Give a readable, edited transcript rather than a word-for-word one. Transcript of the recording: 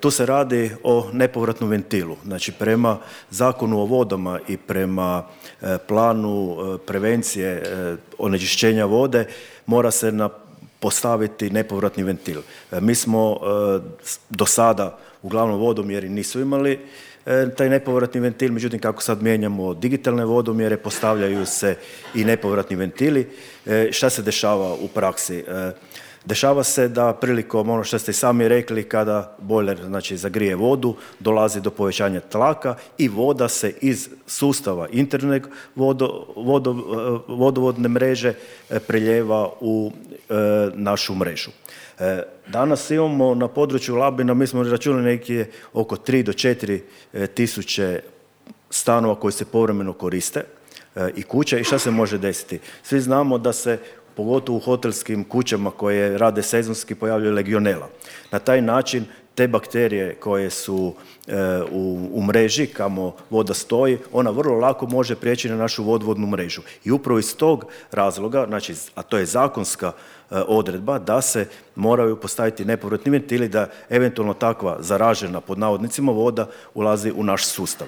Tu se radi o nepovratnom ventilu. Znači, prema Zakonu o vodama i prema planu prevencije onečišćenja vode mora se postaviti nepovratni ventil. Mi smo do sada, uglavnom vodomjeri nisu imali taj nepovratni ventil, međutim kako sad mijenjamo digitalne vodomjere, postavljaju se i nepovratni ventili. Šta se dešava u praksi? Dešava se da prilikom, ono što ste i sami rekli, kada bojler znači zagrije vodu, dolazi do povećanja tlaka i voda se iz sustava interne vodovodne mreže preljeva u našu mrežu. Danas imamo na području Labina, mi smo računali neki oko 3 do 4 tisuće stanova koji se povremeno koriste i kuće. I šta se može desiti? Svi znamo da se pogotovo u hotelskim kućama koje rade sezonski pojavljuje legionela. Na taj način te bakterije koje su u mreži kamo voda stoji, ona vrlo lako može prijeći na našu vodovodnu mrežu. I upravo iz tog razloga, znači, a to je zakonska odredba, da se moraju postaviti nepovratni ventili da eventualno takva zaražena pod navodnicima voda ulazi u naš sustav.